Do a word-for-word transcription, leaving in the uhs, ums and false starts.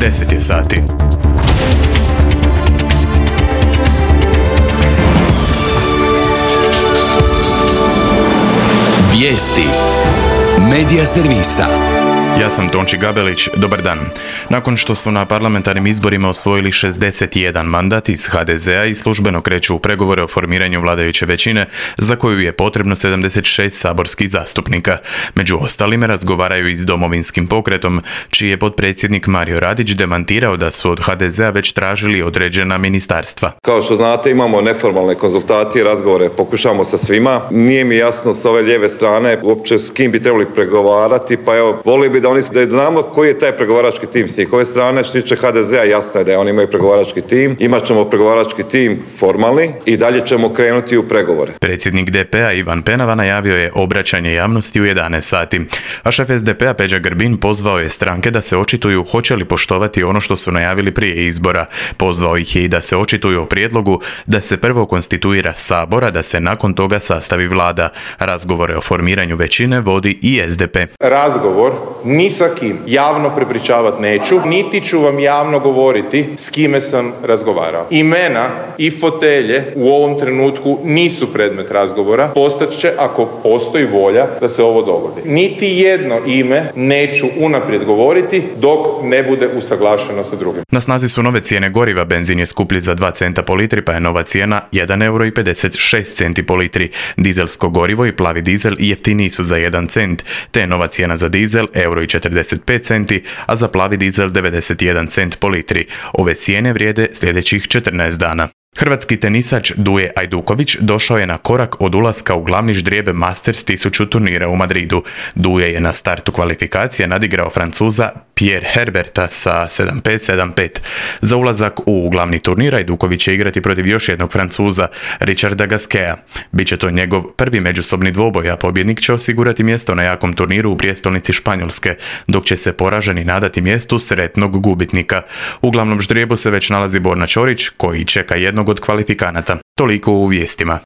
deset je sati. Vijesti Medija servisa. Ja sam Tonči Gabelić, dobar dan. Nakon što su na parlamentarnim izborima osvojili šezdeset jedan mandat iz ha de zea i službeno kreću u pregovore o formiranju vladajuće većine, za koju je potrebno sedamdeset šest saborskih zastupnika. Među ostalime razgovaraju i s Domovinskim pokretom, čiji je potpredsjednik Mario Radić demantirao da su od ha de zea već tražili određena ministarstva. Kao što znate, imamo neformalne konzultacije, razgovore, pokušamo sa svima. Nije mi jasno s ove lijeve strane uopće s kim bi trebali pregovarati, pa evo, volio bi da oni da znamo koji je taj pregovarački tim s njihove strane. Što tiče ha de zea, jasno je da oni imaju pregovarački tim. Imat ćemo pregovarački tim formalni i dalje ćemo krenuti u pregovore. Predsjednik de pe a Ivan Penava najavio je obraćanje javnosti u jedanaest sati. A šef es de pe a Peđa Grbin pozvao je stranke da se očituju hoće li poštovati ono što su najavili prije izbora. Pozvao ih je i da se očituju o prijedlogu da se prvo konstituira sabor, a da se nakon toga sastavi vlada. Razgovore o formiranju većine vodi i es de pe. Razgovor ni sa kim javno prepričavat neću, niti ću vam javno govoriti s kime sam razgovarao. Imena i fotelje u ovom trenutku nisu predmet razgovora, postat će ako postoji volja da se ovo dogodi. Niti jedno ime neću unaprijed govoriti dok ne bude usaglašeno sa drugim. Na snazi su nove cijene goriva, benzin je skuplji za dva centa po litri, pa je nova cijena jedan euro i pedeset šest centi po litri. Dizelsko gorivo i plavi dizel jeftiniji su za jedan cent, te je nova cijena za dizel euro i četrdeset pet centi, a za plavi dizel devedeset jedan cent po litri. Ove cijene vrijede sljedećih četrnaest dana. Hrvatski tenisač Duje Ajduković došao je na korak od ulaska u glavni ždrijeb Masters tisuću turnira u Madridu. Duje je na startu kvalifikacije nadigrao Francuza Pierre Herberta sa sedam pet sedam pet. Za ulazak u glavni turnir Ajduković će igrati protiv još jednog Francuza, Richarda Gasqueta. Biće to njegov prvi međusobni dvoboj, a pobjednik će osigurati mjesto na jakom turniru u prijestolnici Španjolske, dok će se poraženi nadati mjestu sretnog gubitnika. U glavnom ždrijebu se već nalazi Borna Ćorić, koji čeka jednog od kvalifikanata. Toliko u vijestima.